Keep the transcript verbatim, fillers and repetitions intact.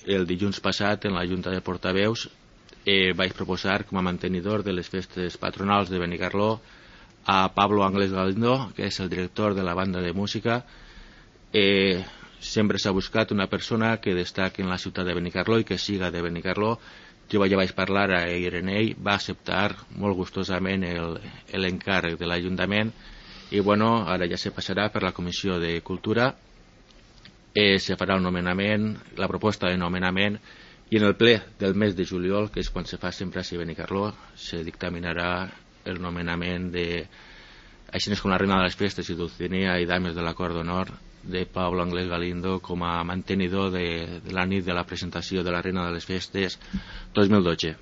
el dilluns passat en la Junta de Portaveus eh, vaig proposar com a mantenidor de les festes patronals de Benicarló a Pablo Ángeles Galindo, que és el director de la banda de música. Eh, sempre s'ha buscat una persona que destaqui en la ciutat de Benicarló i que siga de Benicarló. Jo ja vaig parlar a Irenei, va acceptar molt gustosament l'encàrrec de l'Ajuntament i bueno, ara ja se passarà per la Comissió de Cultura, eh, se farà el nomenament, la proposta de nomenament, i en el ple del mes de juliol, que és quan se fa sempre a Benicarló, se dictaminarà el nomenament de, així com la reina de les festes i Dulcinea i dames de l'acord d'honor, de Pablo Ángeles Galindo com a mantenidor de, de la nit de la presentació de la reina de les festes dos mil dotze.